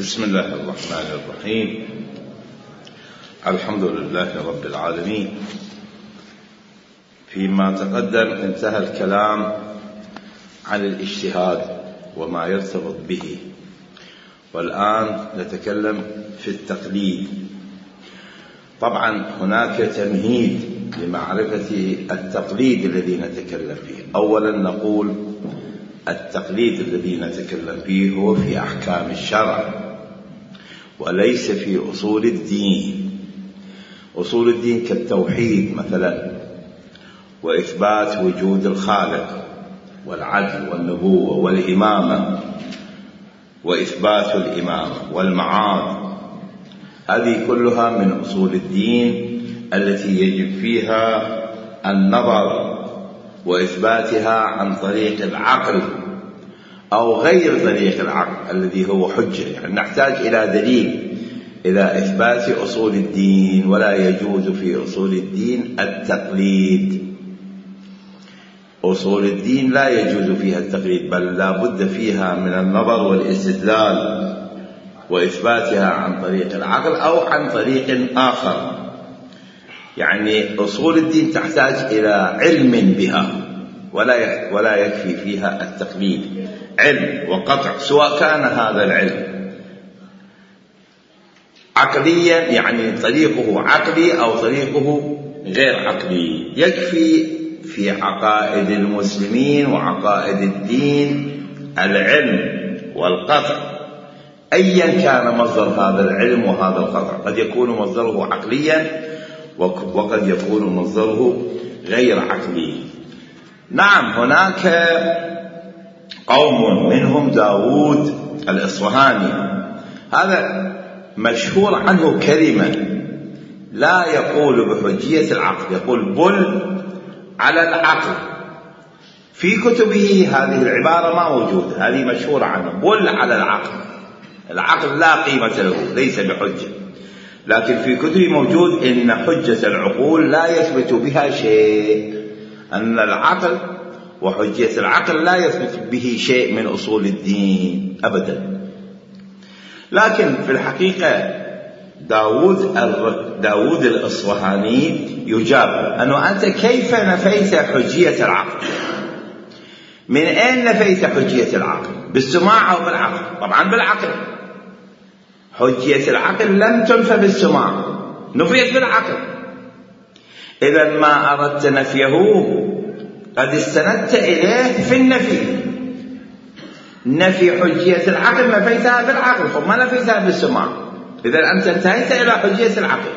بسم الله الرحمن الرحيم. الحمد لله رب العالمين. فيما تقدم انتهى الكلام عن الاجتهاد وما يرتبط به، والآن نتكلم في التقليد. طبعا هناك تمهيد لمعرفة التقليد الذي نتكلم فيه. أولا نقول التقليد الذي نتكلم فيه هو في أحكام الشرع وليس في أصول الدين. أصول الدين كالتوحيد مثلا، وإثبات وجود الخالق والعدل والنبوة والإمامة وإثبات الإمامة والمعاد، هذه كلها من أصول الدين التي يجب فيها النظر وإثباتها عن طريق العقل أو غير طريق العقل الذي هو حجة. يعني نحتاج إلى دليل إلى إثبات أصول الدين، ولا يجوز في أصول الدين التقليد. أصول الدين لا يجوز فيها التقليد، بل لا بد فيها من النظر والاستدلال وإثباتها عن طريق العقل أو عن طريق آخر. يعني أصول الدين تحتاج إلى علم بها، ولا يكفي فيها التقليد. علم وقطع، سواء كان هذا العلم عقليا، يعني طريقه عقلي أو طريقه غير عقلي. يكفي في عقائد المسلمين وعقائد الدين العلم والقطع، أيا كان مصدر هذا العلم وهذا القطع. قد يكون مصدره عقليا وقد يكون مصدره غير عقلي. نعم، هناك قوم منهم داود الإصفهاني، هذا مشهور عنه كلمة لا يقول بحجية العقل، يقول بل على العقل. في كتبه هذه العبارة ما موجودة، هذه مشهورة عنه، بل على العقل. العقل لا قيمة له، ليس بحجة. لكن في كتبه موجود إن حجة العقول لا يثبت بها شيء، أن العقل وحجية العقل لا يثبت به شيء من أصول الدين أبدا. لكن في الحقيقة داود الإصفهاني يجاب أنه أنت كيف نفيت حجية العقل؟ من أين نفيت حجية العقل؟ بالسماع أو بالعقل؟ طبعا بالعقل. حجية العقل لم تنفى بالسماع، نفيت بالعقل. إذا ما أردت نفيه قد استندت إليه في النفي. نفي حجية العقل نفيتها بالعقل، ما نفيتها بالسماع. إذا أنت انتهيت إلى حجية العقل.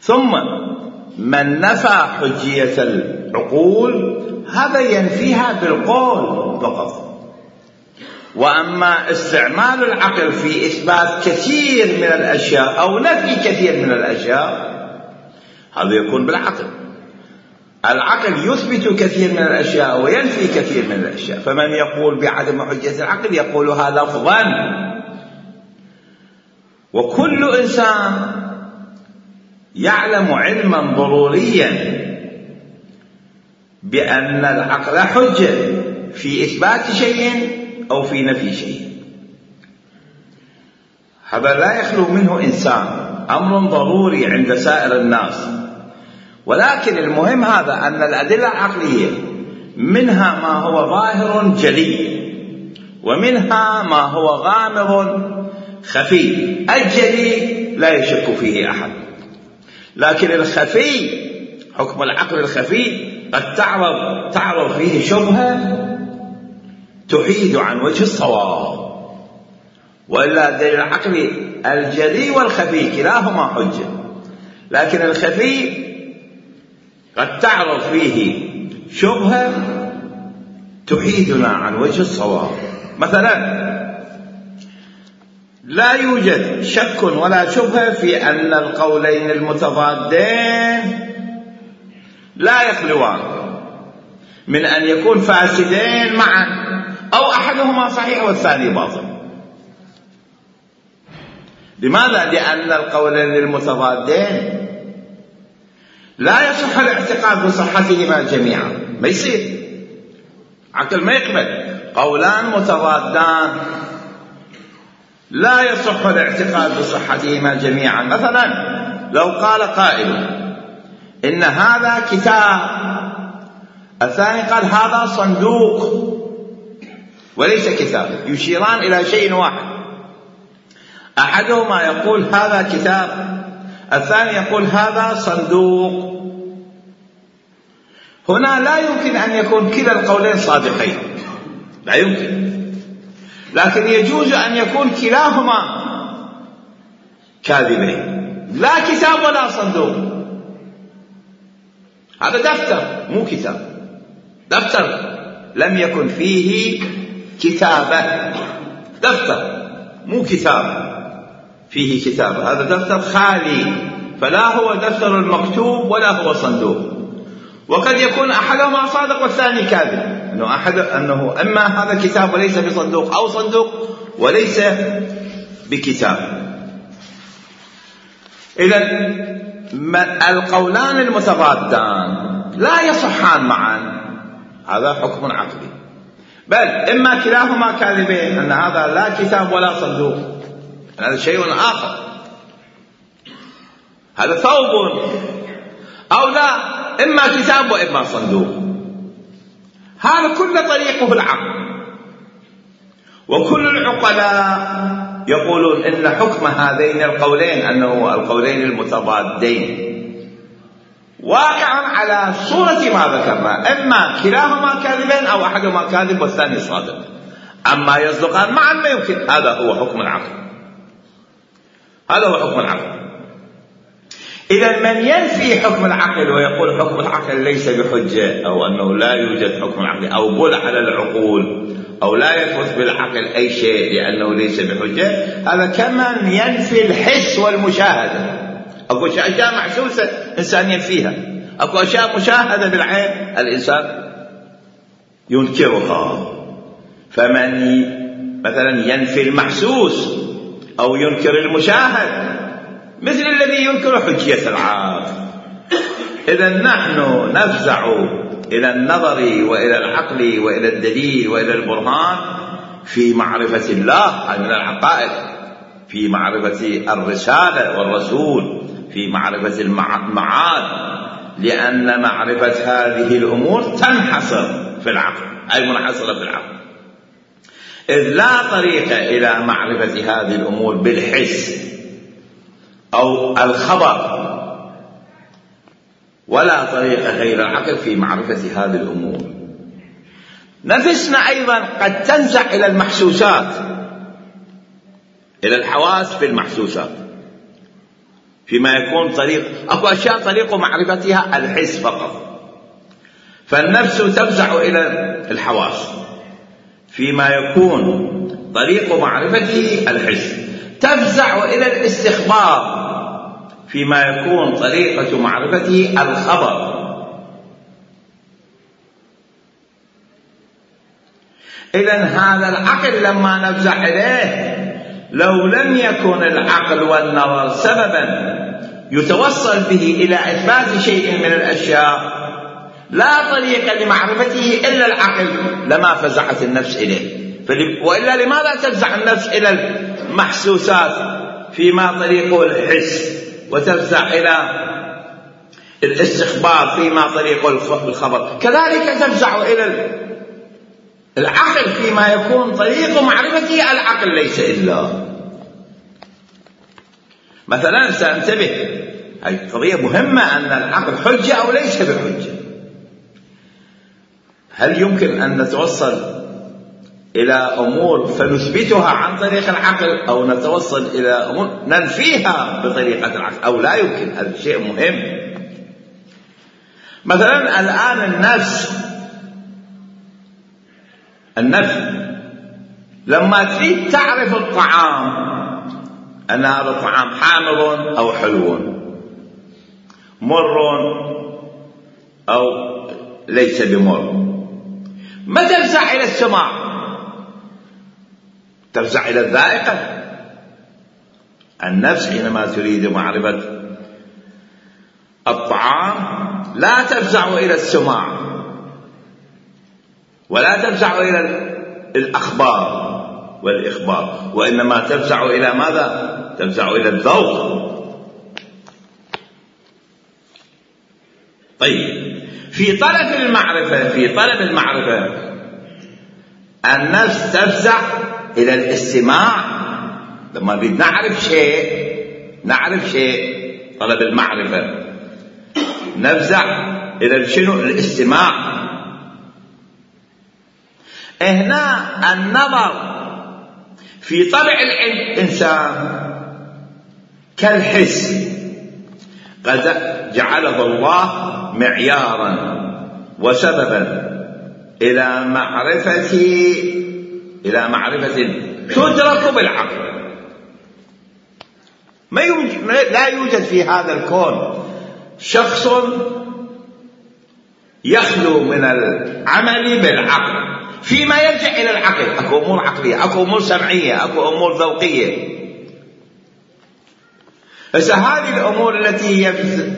ثم من نفى حجية العقول هذا ينفيها بالقول فقط. وأما استعمال العقل في إثبات كثير من الأشياء أو نفي كثير من الأشياء، هذا يكون بالعقل. العقل يثبت كثير من الأشياء وينفي كثير من الأشياء. فمن يقول بعدم حجية العقل يقولها لفظا. وكل إنسان يعلم علما ضروريا بأن العقل حجة في إثبات شيء أو في نفي شيء. هذا لا يخلو منه إنسان، أمر ضروري عند سائر الناس. ولكن المهم هذا أن الأدلة العقلية منها ما هو ظاهر جلي، ومنها ما هو غامض خفي. الجلي لا يشك فيه أحد، لكن الخفي، حكم العقل الخفي، قد تعرض فيه شبهة تحيد عن وجه الصواب. وإلا دليل العقل الجلي والخفي كلاهما حجة، لكن الخفي قد تعرض فيه شبهة تحيدنا عن وجه الصواب. مثلا لا يوجد شك ولا شبهة في أن القولين المتضادين لا يخلوان من أن يكون فاسدين معا، أو أحدهما صحيح والثاني باطل. لماذا؟ لأن القولين المتضادين لا يصح الاعتقاد بصحتهما جميعا، ما يصير، عقل ما يقبل. قولان متضادان لا يصح الاعتقاد بصحتهما جميعا. مثلا لو قال قائل إن هذا كتاب، الثاني قال هذا صندوق وليس كتاب، يشيران إلى شيء واحد، أحدهما يقول هذا كتاب، الثاني يقول هذا صندوق. هنا لا يمكن أن يكون كلا القولين صادقين، لا يمكن، لكن يجوز أن يكون كلاهما كاذبين، لا كتاب ولا صندوق. هذا دفتر مو كتاب، دفتر لم يكن فيه كتابة، دفتر مو كتاب فيه كتابة، هذا دفتر خالي، فلا هو دفتر المكتوب ولا هو صندوق. وقد يكون أحدهما صادق والثاني كاذب، أنه إما هذا كتاب وليس بصندوق، أو صندوق وليس بكتاب. إذن القولان المتضادان لا يصحان معا، هذا حكم عقلي. بل إما كلاهما كاذبين، أن هذا لا كتاب ولا صندوق، هذا شيء آخر، هذا ثوب، أو لا، إما كتاب وإما صندوق. هذا كل طريقه العقل. وكل العقلاء يقولون إن حكم هذين القولين، أنه القولين المتضادين، واقع على صورة ما ذكرنا، إما كلاهما كاذبين أو أحدهما كاذب والثاني صادق. أما يصدقان معا ما يمكن، هذا هو حكم العقل، هذا هو حكم العقل. إذا من ينفي حكم العقل ويقول حكم العقل ليس بحجة، أو أنه لا يوجد حكم العقل، أو بل على العقول، أو لا يثبت بالعقل أي شيء لأنه ليس بحجة، هذا كمن ينفي الحس والمشاهدة. أكو أشياء محسوسة إنسان ينفيها، أكو أشياء مشاهدة بالعين الإنسان ينكرها. فمن مثلا ينفي المحسوس أو ينكر المشاهد مثل الذي ينكر حجية العقل. إذا نحن نفزع إلى النظر وإلى العقل وإلى الدليل وإلى البرهان في معرفة الله، أي من العقائد، في معرفة الرسالة والرسول، في معرفة المعاد، لأن معرفة هذه الأمور تنحصر في العقل، أي منحصرة في العقل، إذ لا طريق إلى معرفة هذه الأمور بالحس أو الخبر، ولا طريق غير العقل في معرفة هذه الأمور. نفسنا أيضا قد تنزع إلى المحسوسات، إلى الحواس في المحسوسات، فيما يكون طريق، أكو أشياء طريق معرفتها الحس فقط، فالنفس تفزع إلى الحواس فيما يكون طريق معرفته الحس، تفزع إلى الاستخبار فيما يكون طريقة معرفته الخبر. إذن هذا العقل لما نفزع إليه، لو لم يكن العقل والنظر سببا يتوصل به إلى إثبات شيء من الأشياء، لا طريق لمعرفته إلا العقل، لما فزعت النفس إليه. وإلا لماذا تفزع النفس إلى المحسوسات فيما طريقه الحس، وتفزع إلى الاستخبار فيما طريقه الخبر؟ كذلك تفزع إلى العقل فيما يكون طريق معرفته العقل ليس إلا. مثلا سأنتبه، هذه قضية مهمة، أن العقل حجة أو ليس بحجة. هل يمكن أن نتوصل إلى أمور فنثبتها عن طريق العقل، أو نتوصل إلى أمور ننفيها بطريقة العقل، أو لا يمكن؟ هذا شيء مهم. مثلا الآن النفس لما تريد تعرف الطعام أن هذا الطعام حامض أو حلو، مر أو ليس بمر، ما تفزع إلى السماع، تفزع إلى الذائقة. النفس حينما تريد معرفة الطعام لا تفزع إلى السماع، ولا تفزع إلى الأخبار، والإخبار، وإنما تفزع إلى ماذا؟ تفزع إلى الذوق. طيب، في طلب المعرفة النفس تفزع إلى الاستماع. لما نريد نعرف شيء طلب المعرفة نفزع إلى شنو؟ الاستماع. هنا النظر في طبع الإنسان كالحس، قد جعله الله معيارا وسببا إلى معرفة تدرك بالعقل. لا يوجد في هذا الكون شخص يخلو من العمل بالعقل فيما يرجع إلى العقل. أكو أمور عقلية، أكو أمور سمعية، أكو أمور ذوقية. بس هذه الأمور التي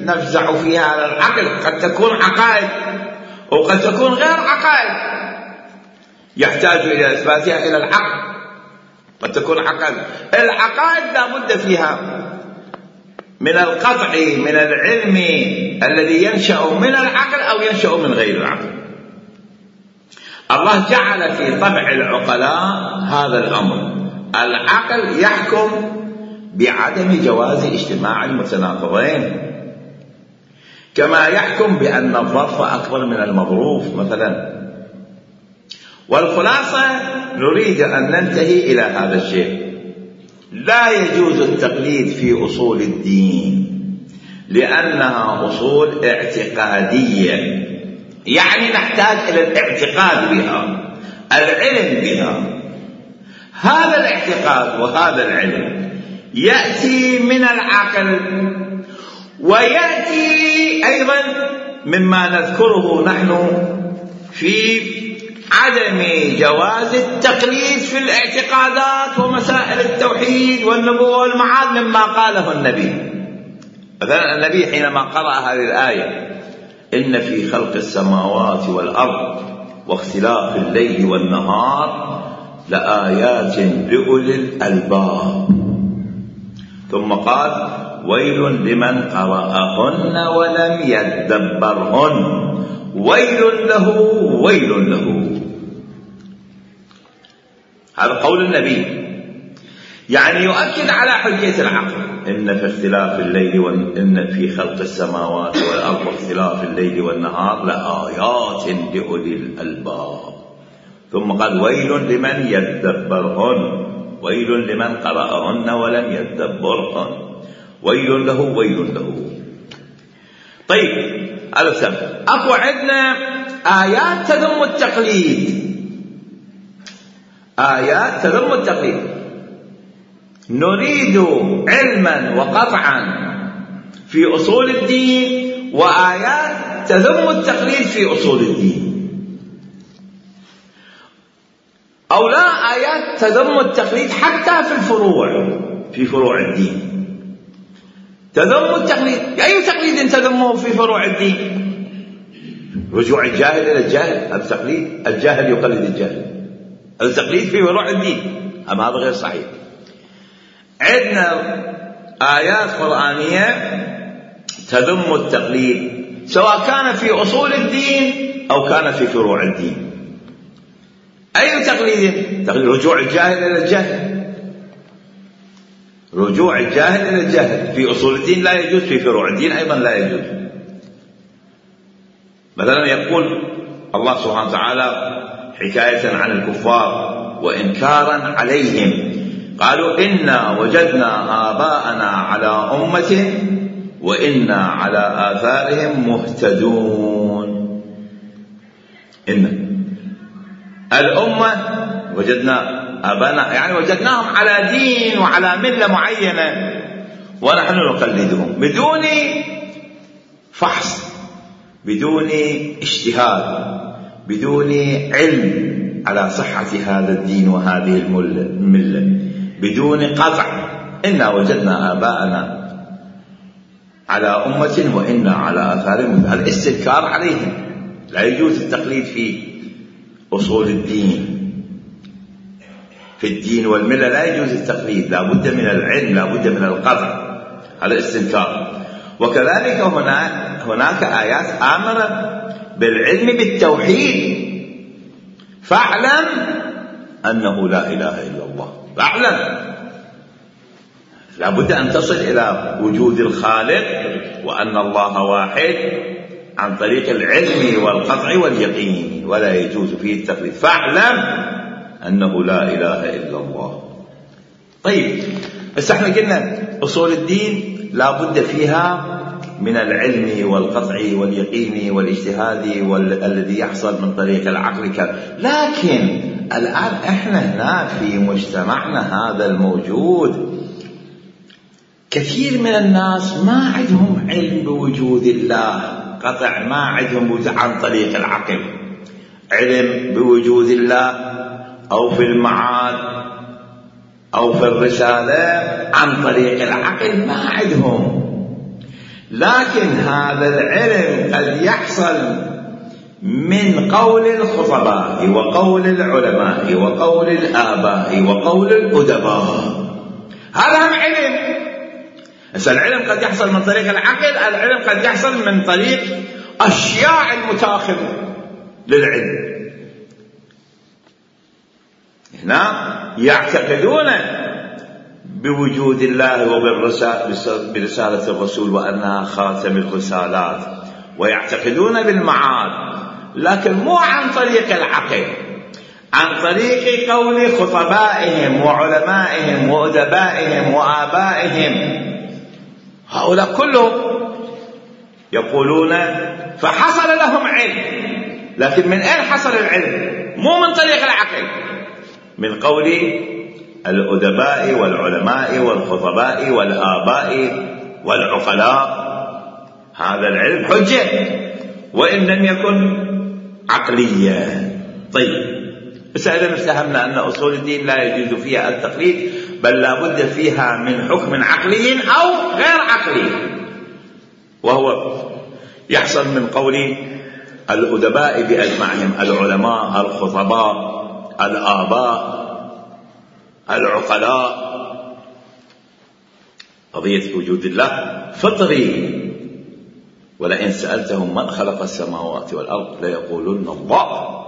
نفزع فيها على العقل قد تكون عقائد وقد تكون غير عقائد يحتاج إلى إثباتها إلى العقل. قد تكون عقائد، العقائد لا بد فيها من القطع من العلم الذي ينشأ من العقل أو ينشأ من غير العقل. الله جعل في طبع العقلاء هذا الأمر. العقل يحكم بعدم جواز اجتماع المتناقضين، كما يحكم بأن الظرف أكبر من المظروف مثلا. والخلاصة نريد أن ننتهي إلى هذا الشيء. لا يجوز التقليد في أصول الدين لأنها أصول اعتقادية، يعني نحتاج إلى الاعتقاد بها، العلم بها. هذا الاعتقاد وهذا العلم يأتي من العقل ويأتي أيضا مما نذكره نحن في عدم جواز التقليد في الاعتقادات ومسائل التوحيد والنبوة والمعاد مما قاله النبي. مثلا النبي حينما قرأ هذه الآية: إن في خلق السماوات والأرض واختلاف الليل والنهار لآيات لأولي الألباب، ثم قال: ويل لمن قرأهن ولم يدبرهن ويل له. هذا قول النبي، يعني يؤكد على حجية العقل. إن في اختلاف الليل إن في خلق السماوات والأرض واختلاف الليل والنهار لآيات لأولي الألباب، ثم قال: ويل لمن يدبرهن ويل لمن قرأهن ولم يدبرهن ويل له. طيب، هذا سبب. أكو عندنا آيات تذم التقليد. نريد علما وقطعا في أصول الدين، وآيات تذم التقليد في أصول الدين، أو لا آيات تذم التقليد حتى في فروع الدين. تذم التقليد، أي تقليد تذمه في فروع الدين؟ رجوع الجاهل إلى الجاهل، هذا تقليد. الجاهل يقلد الجاهل، هذا تقليد في فروع الدين. أما هذا غير صحيح. عندنا آيات قرآنية تذم التقليد، سواء كان في أصول الدين أو كان في فروع الدين. أي تقليد؟ رجوع الجاهل إلى الجاهل. رجوع الجاهل إلى الجاهل في أصول الدين لا يجوز، في فروع الدين أيضا لا يجوز. مثلا يقول الله سبحانه وتعالى حكاية عن الكفار وإنكارا عليهم: قالوا إنا وجدنا آباءنا على أمة وإنا على آثارهم مهتدون. إن الأمة وجدنا آباءنا، يعني وجدناهم على دين وعلى ملة معينة ونحن نقلدهم بدون فحص، بدون اجتهاد، بدون علم على صحة هذا الدين وهذه الملة، بدون قطع. إنا وجدنا آباءنا على أمة وإنا على آثارهم، الاستذكار عليهم. لا يجوز التقليد في أصول الدين. في الدين والملة لا يجوز التقليد، لا بد من العلم، لا بد من القطع على الاستنكار. وكذلك هناك آيات آمرة بالعلم بالتوحيد، فاعلم أنه لا إله إلا الله، فاعلم. لا بد أن تصل إلى وجود الخالق وأن الله واحد عن طريق العلم والقطع واليقين، ولا يجوز فيه التقليد. فاعلم أنه لا إله إلا الله. طيب، بس احنا قلنا أصول الدين لا بد فيها من العلم والقطع واليقين والاجتهاد الذي يحصل من طريق العقل. لكن الآن احنا هنا في مجتمعنا هذا الموجود كثير من الناس ما عندهم علم بوجود الله قطع، ما عندهم عن طريق العقل علم بوجود الله أو في المعاد أو في الرسالة عن طريق العقل، ما عندهم. لكن هذا العلم قد يحصل من قول الخطباء وقول العلماء وقول الآباء وقول الأدباء، هذا هم علم. العلم قد يحصل من طريق العقل، العلم قد يحصل من طريق أشياء المتاخرة للعلم. هنا يعتقدون بوجود الله وبرسالة الرسول وأنها خاتم الرسالات، ويعتقدون بالمعاد، لكن مو عن طريق العقل، عن طريق قول خطبائهم وعلمائهم وأدبائهم وآبائهم. هؤلاء كلهم يقولون فحصل لهم علم، لكن من أين حصل العلم؟ مو من طريق العقل، من قول الأدباء والعلماء والخطباء والآباء والعقلاء. هذا العلم حجة وإن لم يكن عقليا. طيب، بس إذا افتهمنا أن أصول الدين لا يجوز فيها التقليد، بل لا بد فيها من حكم عقلي أو غير عقلي، وهو يحصل من قول الأدباء بأجمعهم، العلماء، الخطباء، الآباء، العقلاء. قضية وجود الله فطري، ولئن سألتهم من خلق السماوات والأرض ليقولن الله.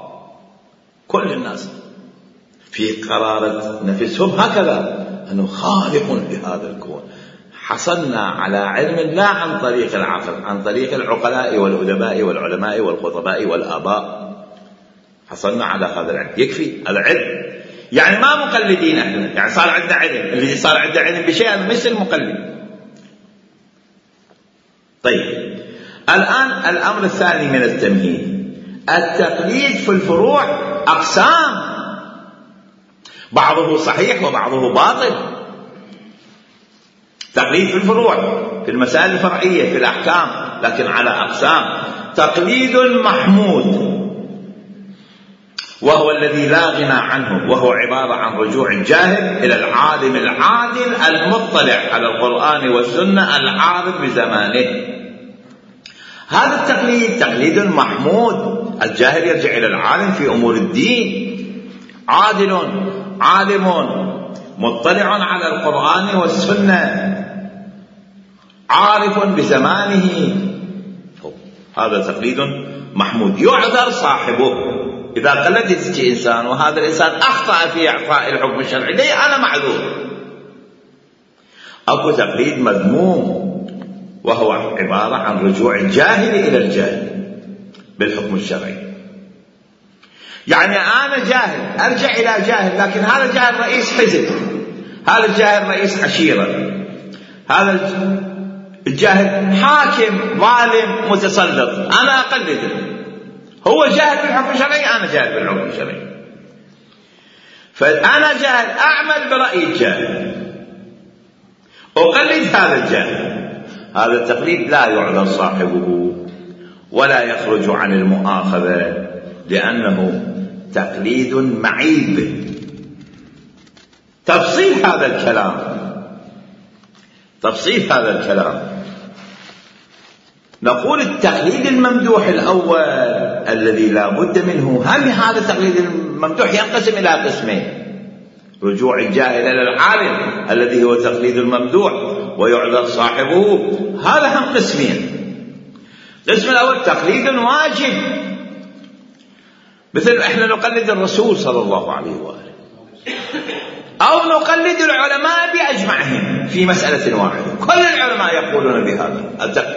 كل الناس في قرارة نفسهم هكذا، أنه خالق لهذا الكون. حصلنا على علم لا عن طريق العقل، عن طريق العقلاء والأدباء والعلماء والخطباء والآباء، حصلنا على هذا العلم. يكفي العلم، يعني ما مقلدين احنا، يعني صار عندنا علم. الذي صار عنده علم بشيء هذا مثل المقلد. طيب، الآن الأمر الثاني من التمهيد، التقليد في الفروع أقسام، بعضه صحيح وبعضه باطل. تقليد في الفروع، في المسائل الفرعية، في الأحكام، لكن على أقسام. تقليد محمود وهو الذي لا غنى عنه، وهو عبارة عن رجوع الجاهل إلى العالم العادل المطلع على القرآن والسنة العارف بزمانه. هذا التقليد تقليد محمود. الجاهل يرجع إلى العالم في أمور الدين، عادل عالم مطلع على القرآن والسنة عارف بزمانه، هذا تقليد محمود. يعذر صاحبه إذا قلدت إنسان وهذا الإنسان أخطأ في إعطاء الحكم الشرعي، ليه أنا معذور. أكو تقليد مذموم وهو عبارة عن رجوع الجاهل إلى الجاهل بالحكم الشرعي. يعني أنا جاهل أرجع إلى جاهل، لكن هذا الجاهل رئيس حزب، هذا الجاهل رئيس عشيرة، هذا الجاهل حاكم ظالم متسلط، أنا أقلده. هو جاهل بالحكم الشرعي، أنا جاهل بالحكم الشرعي. فأنا جاهل أعمل برأي الجاهل، أقلد هذا الجاهل. هذا التقليد لا يعذر صاحبه ولا يخرج عن المؤاخذة، لأنه تقليد معيب. تفصيل هذا الكلام نقول التقليد الممدوح الأول الذي لا بد منه، هم هذا التقليد الممدوح ينقسم إلى قسمين. رجوع الجاهل إلى العالم الذي هو تقليد الممدوح ويعذر صاحبه. هذا هم قسمين. القسم الأول تقليد واجب، مثل احنا نقلد الرسول صلى الله عليه وآله، أو نقلد العلماء بأجمعهم في مسألة واحدة. كل العلماء يقولون بهذا،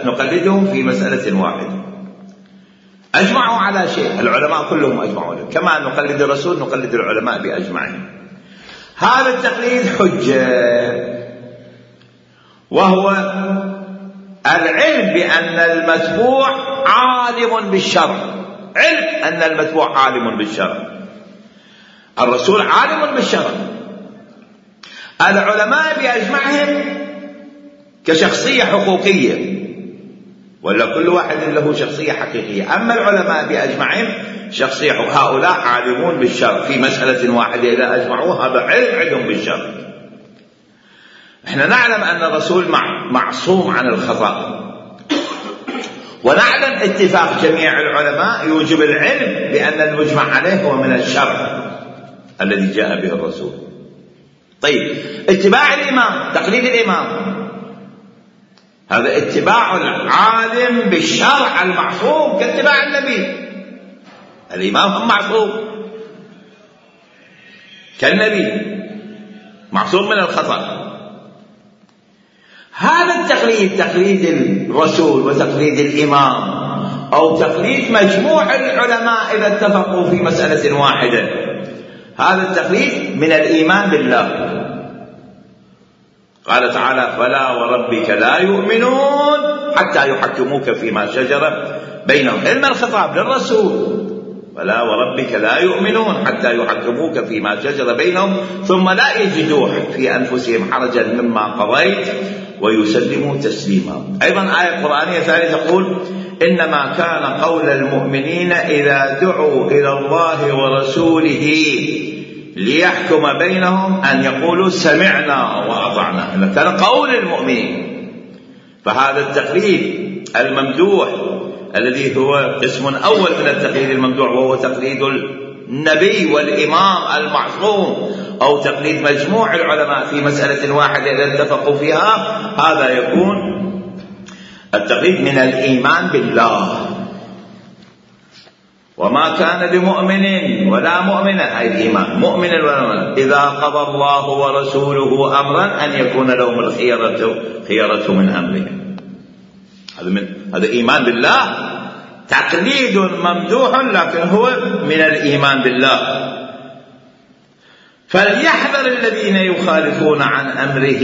نقلدهم في مسألة واحدة، أجمعوا على شيء، العلماء كلهم أجمعوا له. كما نقلد الرسول نقلد العلماء بأجمعهم. هذا التقليد حجة، وهو العلم بأن المتبوع عالم بالشرع. علم أن المتبوع عالم بالشرع، الرسول عالم بالشرع، العلماء بأجمعهم كشخصية حقوقية، ولا كل واحد له شخصية حقيقية. أما العلماء بأجمعهم شخصية، هؤلاء عالمون بالشرع في مسألة واحدة إذا أجمعوا، هذا علم عندهم بالشرع. احنا نعلم أن الرسول معصوم عن الخطأ، ونعلم اتفاق جميع العلماء يوجب العلم بأن المجمع عليه هو من الشرع الذي جاء به الرسول. طيب، اتباع الإمام، تقليد الإمام، هذا اتباع العالم بالشرع المعصوم كاتباع النبي. الإمام هم معصوم كالنبي، معصوم من الخطأ. هذا التقليد، تقليد الرسول وتقليد الإمام، أو تقليد مجموع العلماء إذا اتفقوا في مسألة واحدة، هذا التقليد من الإيمان بالله. قال تعالى: فلا وربك لا يؤمنون حتى يحكموك فيما شجر بينهم. علم الخطاب للرسول: فلا وربك لا يؤمنون حتى يحكموك فيما شجر بينهم ثم لا يجدوا في أنفسهم حرجا مما قضيت ويسلموا تسليما. أيضا آية قرآنية ثانية تقول: إنما كان قول المؤمنين إذا دعوا إلى الله ورسوله ليحكم بينهم أن يقولوا سمعنا وأطعنا. إذا كان قول المؤمنين. فهذا التقليد الممدوح الذي هو قسم أول من التقليد الممدوح، وهو تقليد النبي والإمام المعصوم، أو تقليد مجموع العلماء في مسألة واحدة إذا اتفقوا فيها، هذا يكون التقليد من الإيمان بالله. وما كان لمؤمن ولا مؤمنة، أي الإيمان، مؤمن ولا مؤمنة، إذا قضى الله ورسوله أمرا أن يكون لهم الخيرة من أمرهم. هذا إيمان بالله، تقليد ممدوح لكن هو من الإيمان بالله. فليحذر الذين يخالفون عن أمره،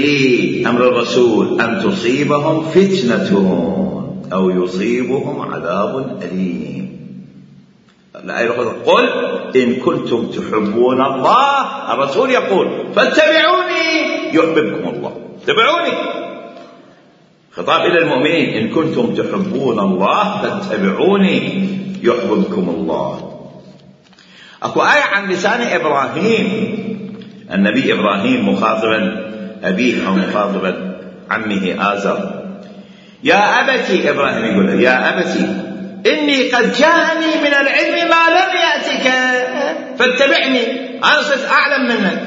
أمر الرسول، أن تصيبهم فتنة أو يصيبهم عذاب أليم. قل إن كنتم تحبون الله، الرسول يقول: فاتبعوني يحببكم الله. اتبعوني، خطاب إلى المؤمنين: إن كنتم تحبون الله فاتبعوني يحببكم الله. أكو آية عن لسان إبراهيم، النبي إبراهيم مخاطبا أبيه أو مخاطبا عمه آزر: يا أبتي، إبراهيم يقول: يا أبتي إني قد جاءني من العلم ما لم يأتك فاتبعني، أنا صرت أعلم منك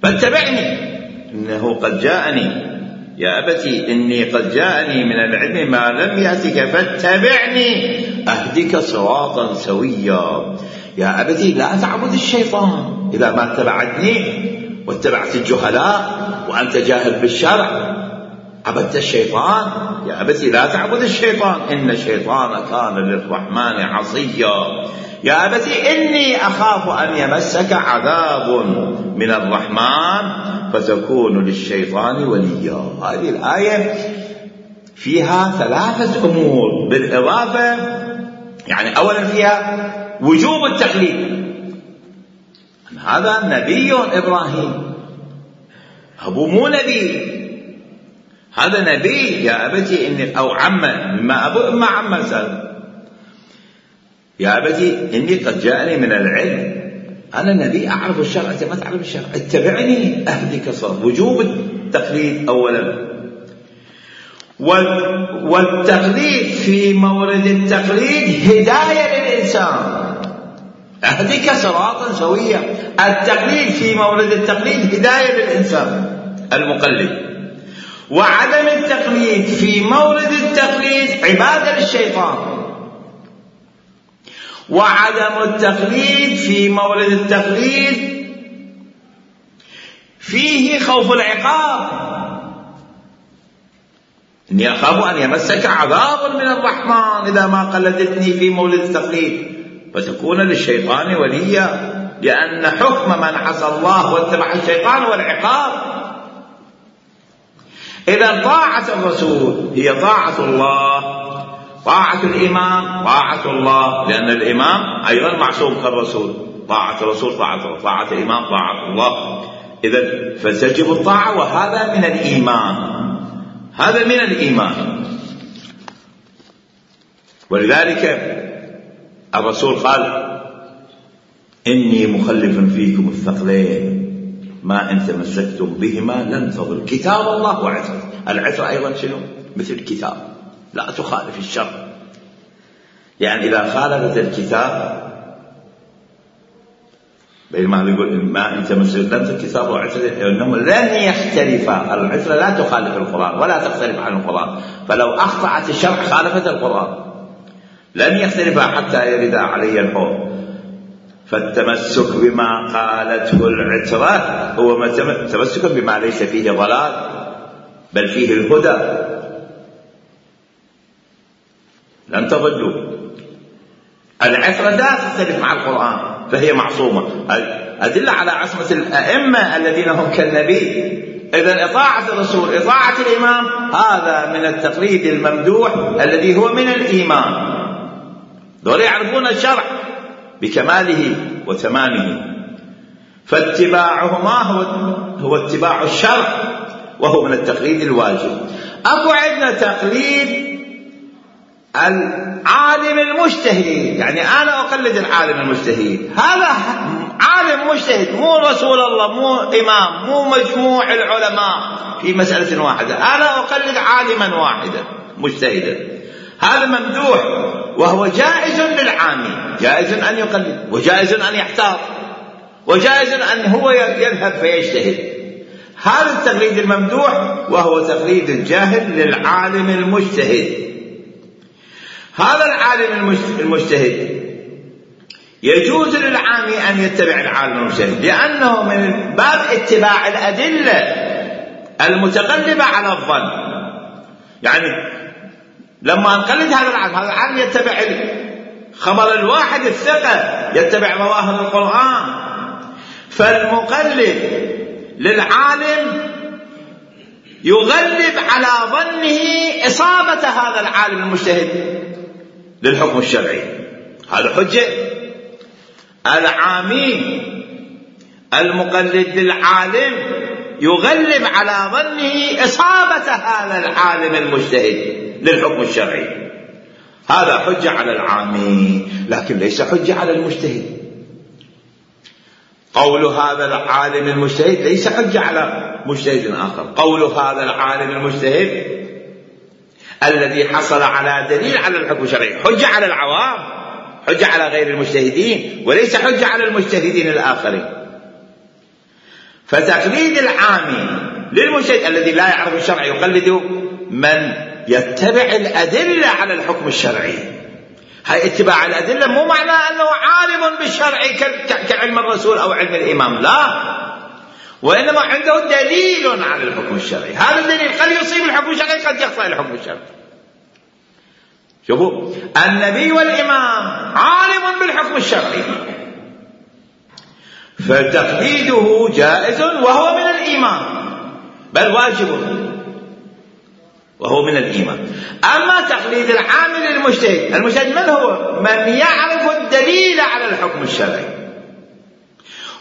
فاتبعني. إنه قد جاءني، يا أبتي إني قد جاءني من العلم ما لم يأتك فاتبعني أهدك صراطا سويا. يا أبتي لا تعبد الشيطان، إذا ما اتبعتني واتبعت الجهلاء وأنت جاهل بالشرع عبدت الشيطان. يا أبتي لا تعبد الشيطان إن الشيطان كان للرحمن عصيا. يا أبتي إني أخاف أن يمسك عذاب من الرحمن فتكون للشيطان وليا. هذه الآية فيها ثلاثة أمور بالإضافة، يعني أولا فيها وجوب التقليد. هذا نبي إبراهيم، أبوه مو نبي، هذا نبي. يا أبتي إني، أو عمه، ما أبو إما عمه سأل: يا أبتي إني قد جاءني من العلم، أنا نبي أعرف الشرع، أنت ما تعرف الشرع، اتبعني أهدك صراطا. وجوب التقليد أولا. والتقليد في مورد التقليد هداية للإنسان، اهدك صراطا سويا. التقليد في مورد التقليد هداية للإنسان المقلد، وعدم التقليد في مورد التقليد عبادة للشيطان، وعدم التقليد في مورد التقليد فيه خوف العقاب. إني أخاف أن يمسك عذاب من الرحمن إذا ما قلدتني في مورد التقليد، فتكون للشيطان وليا، لأن حكم من عصى الله واتبع الشيطان والعقاب. إذا طاعة الرسول هي طاعة الله، طاعة الإمام طاعة الله، لأن الإمام أيضا معصوم كالرسول، طاعة الرسول طاعة الله، طاعة الإمام طاعة الله. إذا فتجب الطاعة، وهذا من الإيمان، هذا من الإيمان. ولذلك الرسول قال: إني مخلف فيكم الثقلين ما إن تمسكتم بهما لن تضلوا، كتاب الله وعترة. العترة أيضا شنو؟ مثل الكتاب، لا تخالف الشرع. يعني إذا خالفت الكتاب، بينما يقول ما إن تمسكتم الكتاب وعترة إنهم لن يختلفا. العترة لا تخالف القرآن ولا تختلف عن القرآن، فلو أخطأت الشرع خالفت القرآن. لن يختلفا حتى يرد علي الحوض. فالتمسك بما قالته العترة هو تمسك بما ليس فيه ضلال بل فيه الهدى. لن تضلوا. العترة لا تختلف مع القرآن فهي معصومة. أدل على عصمة الأئمة الذين هم كالنبي. إذن إطاعة الرسول إطاعة الإمام هذا من التقليد الممدوح الذي هو من الإيمان. دول يعرفون الشرع بكماله وتمامه، فاتباعهما هو اتباع الشرع، وهو من التقليد الواجب. أكو عندنا تقليد العالم المجتهد، يعني أنا أقلد العالم المجتهد. هذا عالم مجتهد، مو رسول الله، مو إمام، مو مجموع العلماء في مسألة واحدة. أنا أقلد عالما واحدا مجتهدا، هذا ممدوح، وهو جائز للعامي، جائز أن يقلد، وجائز أن يحتاط، وجائز أن هو يذهب فيجتهد. هذا التقليد الممدوح، وهو تقليد الجاهل للعالم المجتهد. هذا العالم المجتهد يجوز للعامي أن يتبع العالم المجتهد، لأنه من باب اتباع الأدلة المتغلبة على الظن. يعني لما نقلد هذا العالم يتبع خبر الواحد الثقة، يتبع ظواهر القرآن. فالمقلد للعالم يغلب على ظنه إصابة هذا العالم المجتهد للحكم الشرعي. هذا حجة. العامي المقلد للعالم يغلب على ظنه إصابة هذا العالم المجتهد للحكم الشرعي. هذا حجة على العامي، لكن ليس حجة على المجتهد. قول هذا العالم المجتهد ليس حجة على مجتهد آخر. قول هذا العالم المجتهد الذي حصل على دليل على الحكم الشرعي حجة على العوام، حجة على غير المجتهدين، وليس حجة على المجتهدين الآخرين. فتقليد العامي للمجتهد الذي لا يعرف الشرع يقلد من يتبع الأدلة على الحكم الشرعي. هاي اتباع الأدلة مو معنى أنه عالم بالشرع كعلم الرسول أو علم الإمام، لا، وإنما عنده دليل على الحكم الشرعي. هذا الدليل قد يصيب الحكم الشرعي، قد يخطئ الحكم الشرعي. شوفوا، النبي والإمام عالم بالحكم الشرعي، فتقليده جائز وهو من الإيمان، بل واجب وهو من الإيمان. أما تقليد العامل المجتهد، المجتهد من هو؟ من يعرف الدليل على الحكم الشرعي.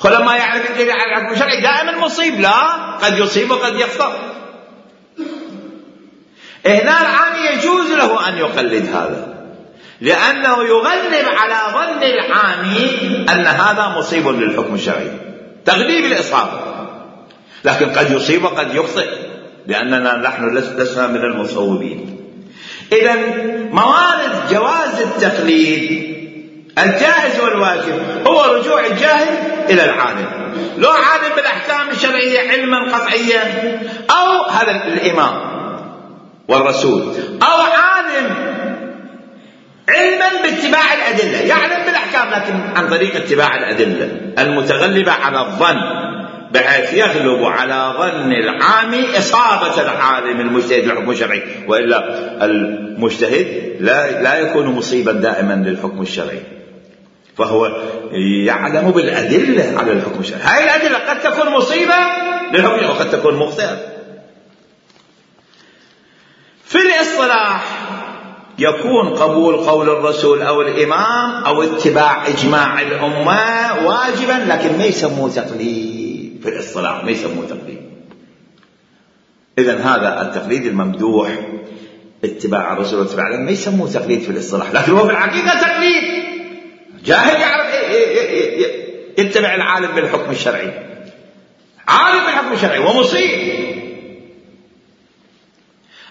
ولما يعرف الدليل على الحكم الشرعي دائما مصيب، لا، قد يصيب وقد يخطئ. هنا العامي يجوز له أن يقلد هذا، لأنه يغلب على ظن العامي أن هذا مصيب للحكم الشرعي، تغليب الإصابة. لكن قد يصيب وقد يخطئ، لأننا نحن لسنا من المصوبين. إذن موارد جواز التقليد الجائز والواجب هو رجوع الجاهل إلى العالم، لو عالم بالأحكام الشرعية علما قطعيا، أو هذا الإمام والرسول، أو عالم علما باتباع الأدلة، يعلم بالأحكام لكن عن طريق اتباع الأدلة المتغلبة على الظن، بحيث يغلب على ظن العام إصابة العالم المجتهد للحكم الشرعي، وإلا المجتهد لا يكون مصيبا دائما للحكم الشرعي، فهو يعلم بالأدلة على الحكم الشرعي. هذه الأدلة قد تكون مصيبة للحكم وقد تكون مخطئة. في الاصطلاح يكون قبول قول الرسول أو الإمام أو اتباع إجماع الأمة واجبا، لكن ما يسموه تقليد في الاصطلاح، ما يسموه تقليد. إذن هذا التقليد الممدوح اتباع الرسول واتباع الأمة ما يسموه تقليد في الاصطلاح، لكن هو في الحقيقة تقليد. جاهل يعرف يتبع العالم بالحكم الشرعي، عالم بالحكم الشرعي ومصيب.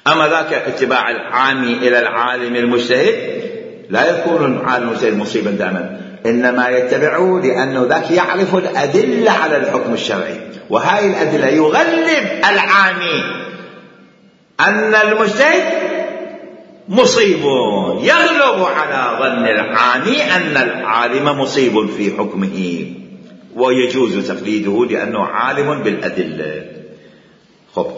أما ذاك اتباع العام إلى العالم المجتهد لا يكون العالم المجتهد مصيبا دائما، إنما يتبعه لأنه ذاك يعرف الأدلة على الحكم الشرعي، وهذه الأدلة يغلب العامي أن المجتهد مصيب، يغلب على ظن العامي أن العالم مصيب في حكمه، ويجوز تقليده لأنه عالم بالأدلة.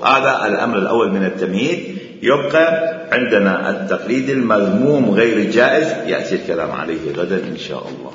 هذا الأمر الأول من التمهيد. يبقى عندنا التقليد المذموم غير الجائز، يأتي الكلام عليه غدا إن شاء الله.